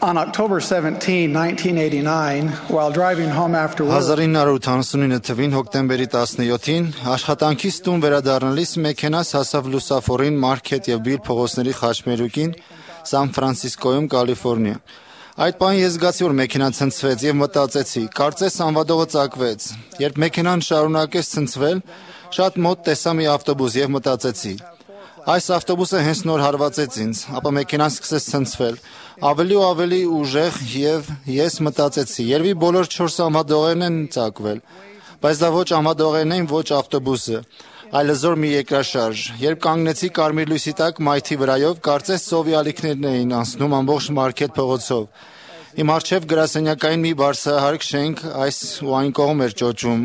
On October 17, 1989, while driving home after work, 1989 թվին հոկտեմբերի 17-ին աշխատանքից տուն վերադառնալիս մեքենաս հասավ լուսավորին Մարքեթ եւ Բիլ փողոցների խաչմերուկին Սան Ֆրանցիսկոյում, Կալիֆոռնիա։ Այդ պահին ես զգացի, որ մեքենան ցնցվեց եւ մտածեցի, կարծես անվադողը ծակվեց։ Երբ մեքենան շարունակեց ցնցվել, շատ մոտ տեսա մի ավտոբուս եւ մտածեցի. այս ավտոբուսը հենց նոր հարվածեց ինձ, ապա մեքենան սկսեց ցնցվել, ավելի ու ավելի ուժեղ եւ ես մտածեցի, երևի բոլոր 4 անվադողերն են ծակվել, բայց դա ոչ անվադողերն էին, ոչ ավտոբուսը, այլ զոր մի երկրաշարժ։ Երբ կանգնեցի կարմիր լույսի տակ մայթի վրայով, կարծես ծովի ալիքներն էին անցնում ամբողջ Մարքեթ փողոցով։ Իմ առջև գրասենյակային մի բարձրահարկ շենք այս ու այն կողմ էր ճոճում։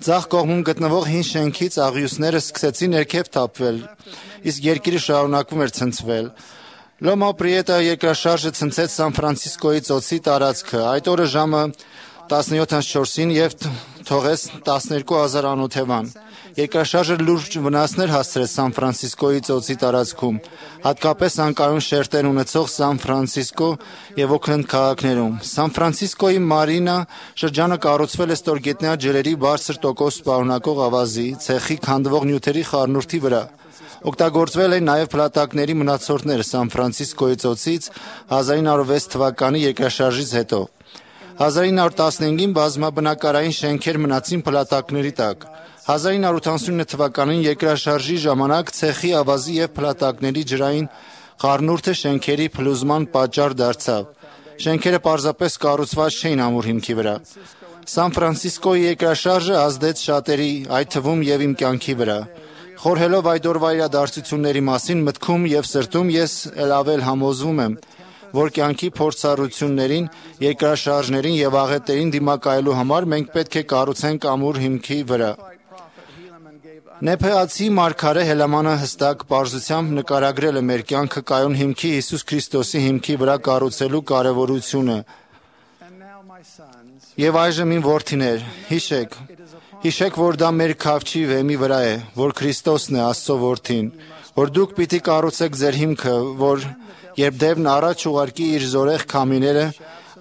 Ձախ կողմում գտնվող հին շենքից աղյուսները սկսեցին ներքև թափվել, իսկ երկիրը շարունակվում էր ցնցվել։ Լոմա Պրիետա երկրաշարժը ցնցեց Սան Ֆրանցիսկոյի ծոցի տարածքը։ Այդ օրը ժամը 17:04-ին եւ թողեց 12,000 անօթևան։ Երկրաշարժը լուրջ վնասներ հասցրեց Սան Ֆրանցիսկոյի ծոցի տարածքում, հատկապես անկայուն շերտեր ունեցող Սան Ֆրանցիսկո եւ Օքլենդ քաղաքներում։ Սան Ֆրանցիսկոյի Մարինա շրջանը կառուցվել է ստորգետնյա ջրերի բարձր տոկոս պարունակող ավազի, ցեխի քանդվող նյութերի խառնուրդի վրա։ Օգտագործվել են նաև փլատակների մնացորդները Սան Ֆրանցիսկոյի ծոցից 1906 թվականի երկրաշարժից հետո։ 1915-ին բազմաբնակարային շենքեր մնացին փլատակների տակ։ 1989 թվականին երկրաշարժի ժամանակ ցեխի ավազի եւ փլատակների ջրային խառնուրդը շենքերի փլուզման պատճառ դարձավ։ Շենքերը պարզապես կառուցված չէին ամուր հիմքի վրա։ Սան Ֆրանցիսկոյի երկրաշարժը ազդեց շատերի, այդ թվում եւ իմ կյանքի վրա։ Խորհելով այդ օրվա իրադարձությունների մասին մտքում եւ սրտում ես ել համոզվում եմ, որ կյանքի փորձառություններին, երկրաշարժներին եւ աղետերին դիմակայելու համար մենք պետք է կառուցենք ամուր հիմքի վրա։ Նեփեացի մարգարե Հելամանը հստակ պարզությամբ նկարագրել է մեր կյանքը կայուն հիմքի Հիսուս Քրիստոսի հիմքի վրա կառուցելու կարևորությունը։ Եվ այժմ իմ որդիներ, հիշեք, որ դա մեր քավչի վեմի վրա է, որ Քրիստոսն է Աստծո որդին, որ դուք պիտի կառուցեք ձեր հիմքը, որ երբ դեպն առաջ ուղարկի իր զորեղ քամիները,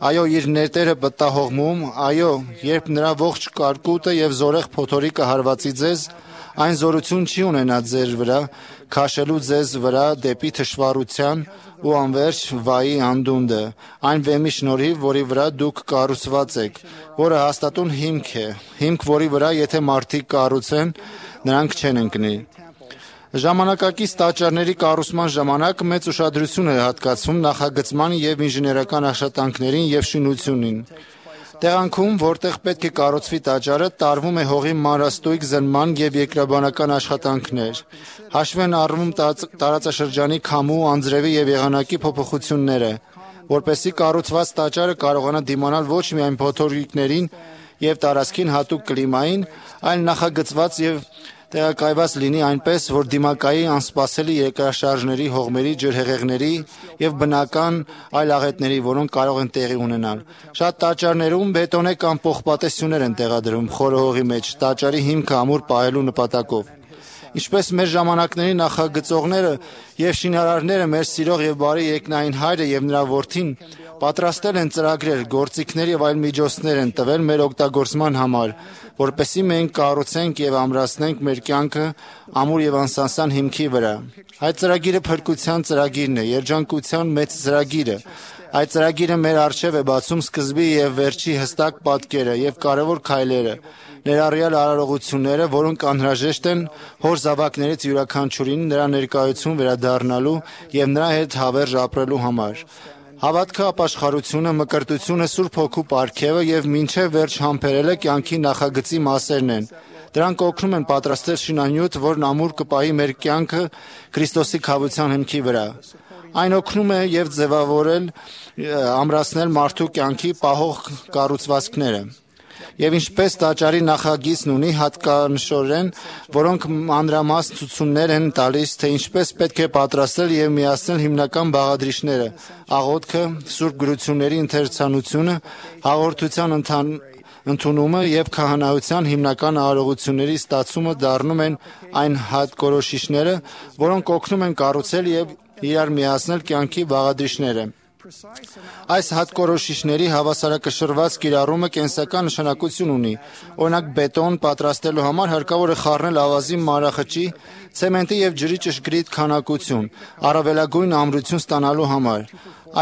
այո, իր ներտերը պտտահողմում, այո, երբ նրա ողջ կարկուտը եւ զորեղ փոթորիկը հարվածի ձեզ, այն զորություն չի ունենա ձեր վրա, քաշելու ձեզ վրա դեպի թշվառության ու անverջ վայի անդունդը, այն վեմի շնորհիվ, որի վրա դուք կառուցված եք, որը հաստատուն հիմք է, հիմք, որի վրա եթե մարդիկ կառուցեն, նրանք չեն ընկնի։ Ժամանակակից տաճարների կառուցման ժամանակ մեծ ուշադրություն է հատկացվում նախագծման եւ ինժեներական աշխատանքներին եւ շինությունին։ Տեղանքում, որտեղ պետք է կառուցվի տաճարը, տարվում է հողի մանրաստույգ զննման եւ երկրաբանական աշխատանքներ։ Հաշվի են առնում տարածաշրջանի քամու, անձրևի եւ եղանակի փոփոխությունները, որպեսզի կառուցված տաճարը կարողանա դիմանալ ոչ միայն փոթորիկներին եւ տարածքին հատուկ կլիմային, այլ նախագծված եւ տեղակայված լինի այնպես, որ դիմակայի անսպասելի երկրաշարժների, հողմերի, ջրհեղեղների եւ բնական այլ աղետների, որոնք կարող են տեղի ունենալ։ Շատ տաճարներում բետոնե կամ պողպատեսյուններ են տեղադրում խորը հողի մեջ, տաճարի հիմքը ամուր պահելու նպատակով։ Ինչպես մեր ժամանակների նախագծողները եւ շինարարները մեր սիրող եւ բարի երկնային Հայրը եւ նրա որդին պատրաստել են ծրագրեր, գործիքներ եւ այլ միջոցներ են տվել մեր օգտագործման համար, որպեսզի մենք կառուցենք եւ ամրացնենք մեր կյանքը ամուր եւ անսանսան հիմքի վրա։ Այդ ծրագիրը փրկության ծրագիրն է, երջանկության մեծ ծրագիրը։ Այդ ծրագիրը մեր առջև է բացում սկզբի եւ վերջի հստակ պատկերը եւ կարևոր քայլերը, ներառյալ արարողությունները, որոնք անհրաժեշտ են հոր զավակներից յուրաքանչյուրին նրա ներկայություն վերադառնալու եւ նրա հետ հավերժ ապրելու համար։ Հավատքը, ապաշխարությունը, մկրտությունը, Սուրբ Հոգու պարգևը եւ մինչեւ վերջ համբերելը կյանքի նախագծի մասերն են։ Դրանք օգնում են պատրաստել շինանյութ, որն ամուր կպահի մեր կյանքը Քրիստոսի քավության հիմքի վրա։ Այն օգնում է եւ ձևավորել, ամրացնել մարդու կյանքի պահող կառուցվածքները։ Եվ ինչպես տաճարի նախագիծն ունի հատկանշորեն, որոնք մանրամասն ցուցումներ են տալիս, թե ինչպես պետք է պատրաստել եւ միացնել հիմնական բաղադրիչները, աղոթքը, սուրբ գրությունների ընթերցանությունը, հաղորդության ընդունումը եւ քահանայության հիմնական արարողությունների ստացումը դառնում են այն հատկորոշիչները, որոնք օգնում են կառուցել եւ իրար միացնել կյանքի բաղադրիչները։ Այս հատկորոշիչների հավասարակշռված կիրառումը կենսական նշանակություն ունի։ Օրինակ, բետոն պատրաստելու համար հարկավոր է խառնել ավազի մանրախճի, ցեմենտի և ջրի ճշգրիտ քանակություն, առավելագույն ամրություն ստանալու համար։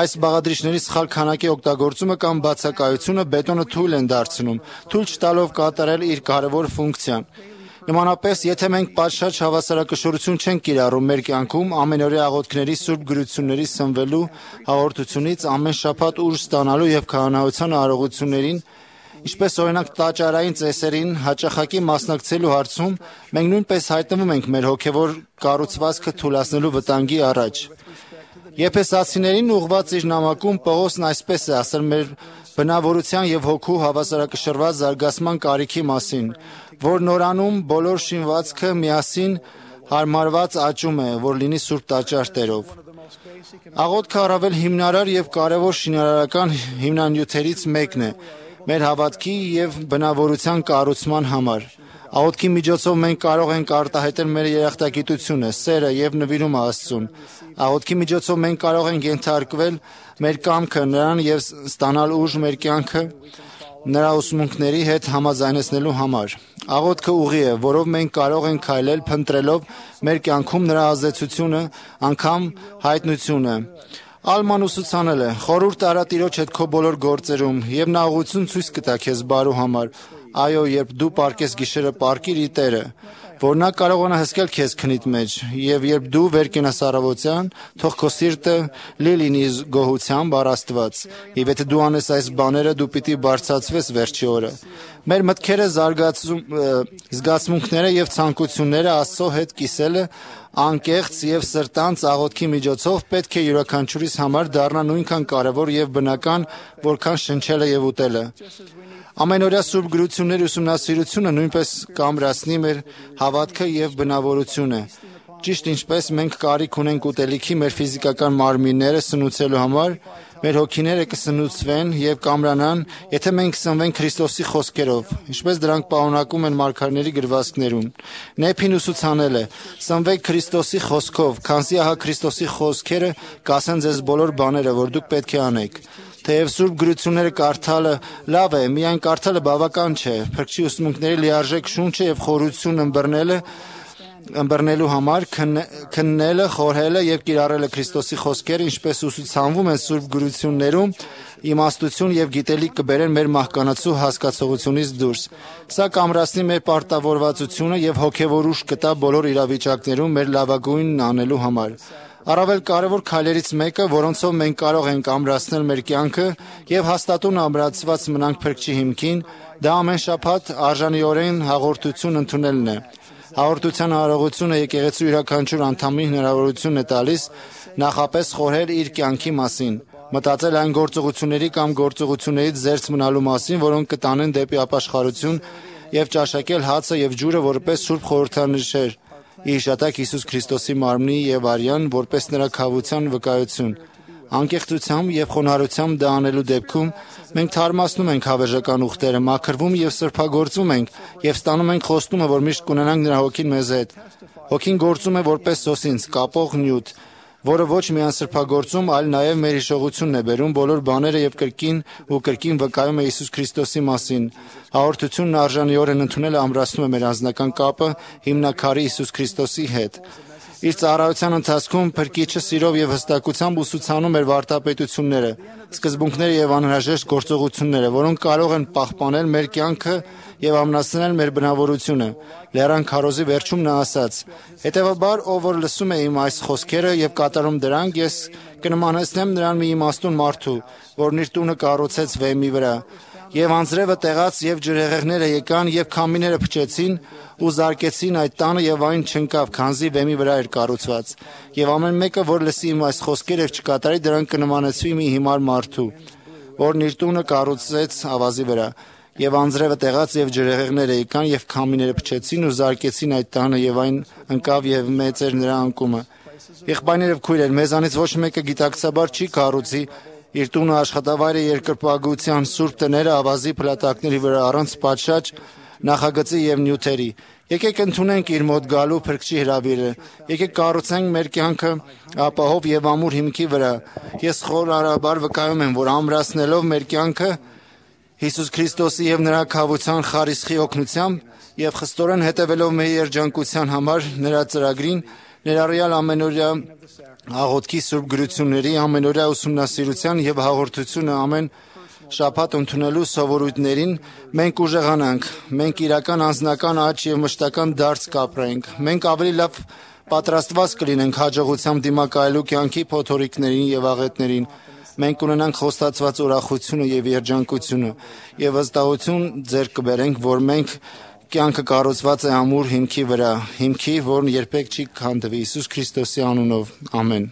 Այս բաղադրիչների սխալ քանակի օգտագործումը կամ բացակայությունը բետոնը թույլ են դարձնում, թույլ չտալով կատարել իր կարևոր ֆունկցիան։ Նմանապես, եթե մենք պատշաճ հավասարակշռություն չենք կիրառում մեր կյանքում, ամենօրյա աղոթքների, սուրբ գրությունների սնվելու, հաղորդությունից, ամեն շաբաթ ուժ ստանալու և քահանայության արարողություններին, ինչպես օրինակ տաճարային ծեսերին, հաճախակի մասնակցելու հարցում, մենք նույնպես հայտնվում ենք մեր հոգևոր կառուցվածքը թուլացնելու վտանգի առաջ։ Եփեսացիներին ուղղված իր նամակում Պողոսն այսպես է ասել մեր բնավորության և հոգու հավասարակշռված զարգացման կարիքի մասին, որ նորանում բոլոր շինվածքը միասին հարմարված աճում է, որ լինի Սուրբ Տաճար Տերով։ Աղոթքը առավել հիմնարար և կարևոր շինարարական հիմնանյութերից մեկն է մեր հավատքի և բնավորության կառուցման համար։ Աղոթքի միջոցով մենք կարող ենք արտահայտել մեր երախտագիտությունը, սերը և նվիրումը Աստծուն։ Աղոթքի միջոցով մենք կարող ենք ենթարկվել մեր կամքը Նրան և ստանալ ուժ մեր կյանքը Նրա ուսմունքների հետ համաձայնեցնելու համար։ Աղոթքը ուղի է, որով մենք կարող ենք քայլել փնտրելով մեր կյանքում Նրա ազդեցությունը, անգամ հայտնությունը։ Ալման ուսուցանել է. «Խորհուրդ արա Տիրոջ հետ քո բոլոր գործերում, և Նա ուղղություն ցույց կտա քեզ բարու համար։ Այո, երբ դու պառկես գիշերը, պառկիր ի Տերը, որ Նա կարողանա հսկել քեզ քնիդ մեջ, և երբ դու վեր կենաս առավոտյան, թող քո սիրտը լի լինի գոհությամբ առ Աստված, և եթե դու անես այս բաները, դու պիտի բարձրացվես վերջի օրը»։ Մեր մտքերը, զգացմունքները և ցանկությունները Աստծո հետ կիսելը անկեղծ և սրտանց աղոթքի միջոցով պետք է յուրաքանչյուրիս համար դառնա նույնքան կարևոր և բնական, որքան շնչելը և ուտելը։ Ամենօրյա սուրբ գրությունների ուսումնասիրությունը նույնպես կամրացնի մեր հավատքը և բնավորությունը։ Ճիշտ ինչպես մենք կարիք ունենք ուտելիքի մեր ֆիզիկական մարմինները սնուցելու համար, մեր հոգիները կսնուցվեն և կամրանան, եթե մենք սնվենք Քրիստոսի խոսքերով, ինչպես դրանք պարունակում են մարգարեների գրվածքներում։ Նեփին ուսուցանել է. «Սնվեք Քրիստոսի խոսքով, քանզի ահա Քրիստոսի խոսքերը կասեն ձեզ բոլոր բաները, որ դուք պետք է անեք»։ Թեև սուրբ գրությունները կարդալը լավ է, միայն կարդալը բավական չէ։ Փրկչի ուսմունքների լիարժեք շունչը և խորություն ըմբռնելու համար քննելը, խորհելը և կիրառելը Քրիստոսի խոսքերը, ինչպես ուսուցանվում են սուրբ գրություններում, իմաստություն և գիտելիք կբերեն մեր մահկանացու հասկացողությունից դուրս։ Սա կամրացնի մեր պարտավորվածությունը և հոգևոր ուժ կտա բոլոր իրավիճակներում մեր լավագույնն անելու համար։ Առավել կարևոր քայլերից մեկը, որոնցով մենք կարող ենք ամրացնել մեր կյանքը և հաստատուն ամրացված մնանք Փրկչի հիմքին, դա ամեն շաբաթ արժանիորեն հաղորդություն ընդունելն է։ Հաղորդության արարողությունը եկեղեցու յուրաքանչյուր անդամին հնարավորություն է տալիս նախապես խորհել իր կյանքի մասին, մտածել այն գործողությունների կամ գործողություններից զերծ մնալու մասին, որոնք կտանեն դեպի ապաշխարություն, և ճաշակել հացը և ջուրը որպես սուրբ խորհրդանիշեր ի հիշատակ Հիսուս Քրիստոսի մարմնի և արյան, որպես նրա քավության վկայություն։ Անկեղծությամբ և խոնարհությամբ դա անելու դեպքում մենք թարմացնում ենք հավերժական ուխտերը, մաքրվում և սրբագործվում ենք և ստանում ենք խոստումը, որ միշտ կունենանք նրա հոգին մեզ հետ։ Հոգին գործում է որպես սոսինձ, կապող նյութ, որը ոչ միայն սրբագործում, այլ նաև մեր հիշողությունն է բերում բոլոր բաները և կրկին վկայում է Հիսուս Քրիստոսի մասին։ Հաղորդությունն արժանիորեն ընդունելը ամրացնում է մեր անձնական կապը հիմնաքարի Հիսուս Քրիստոսի հետ։ Իր ծառայության ընթացքում Փրկիչը սիրով և հստակությամբ ուսուցանում էր վարդապետությունները, սկզբունքները և անհրաժեշտ գործողությունները, որոնք կարող են պահպանել մեր կյանքը և ամրացնել մեր բնավորությունը։ Լեռան քարոզի վերջում նա ասաց. «Հետևաբար, ով որ լսում է իմ այս խոսքերը և կատարում դրանք, ես կնմանեցնեմ նրան մի իմաստուն մարդու, որն իր տունը կառուցեց վեմի վրա։ Եվ անձրևը տեղաց, և ջրհեղեղները եկան, և քամիները փչեցին ու զարկեցին այդ տանը, և այն չընկավ, քանզի վեմի վրա էր կառուցված։ Եվ ամեն մեկը, որ լսի իմ այս խոսքերը և չկատարի դրանք, կնմանեցվի մի հիմար մարդու, որն իր տունը կառուցեց ավազի վրա։ Եվ անձրևը տեղաց, և ջրհեղեղները եկան, և քամիները փչեցին ու զարկեցին այդ տանը, և այն ընկավ, և մեծ էր նրա անկումը»։ Եղբայրներ և քույրեր, մեզանից ոչ մեկը գիտակցաբար չի կառուցի իր տունը, աշխատավայրը, երկրպագության սուրբ տները ավազի փլատակների վրա առանց պատշաճ նախագծի և նյութերի։ Եկեք ընդունենք իր մոտ գալու փրկչի հրավիրը։ Եկեք կառուցենք մեր կյանքը ապահով եւ ամուր հիմքի վրա։ Ես խորհրդաբար վկայում եմ, որ ամրացնելով մեր կյանքը Հիսուս Քրիստոսի եւ նրա քավության խարիսխի օգնությամբ եւ խստորեն հետևելով մեր երջանկության համար նրա ծրագրին, ներառյալ ամենօրյա աղոթքի սուրբ գրությունների, ամենօրյա ուսումնասիրության եւ հաղորդությունը ամեն շաբաթ ընդունելու սովորույթներին մենք ուժեղանանք, մենք իրական անձնական աճ եւ մշտական դարձ կապրենք, մենք ավելի լավ պատրաստված կլինենք հաջողությամբ դիմակայելու կյանքի փոթորիկներին եւ աղետներին, մենք ունենանք խոստացված ուրախությունը եւ երջանկությունը եւ վստահություն ձեռք կբերենք, որ մենք կյանքը կառուցված է ամուր հիմքի վրա, հիմքի, որն երբեք չի քանդվի, Հիսուս Քրիստոսի անունով, ամեն։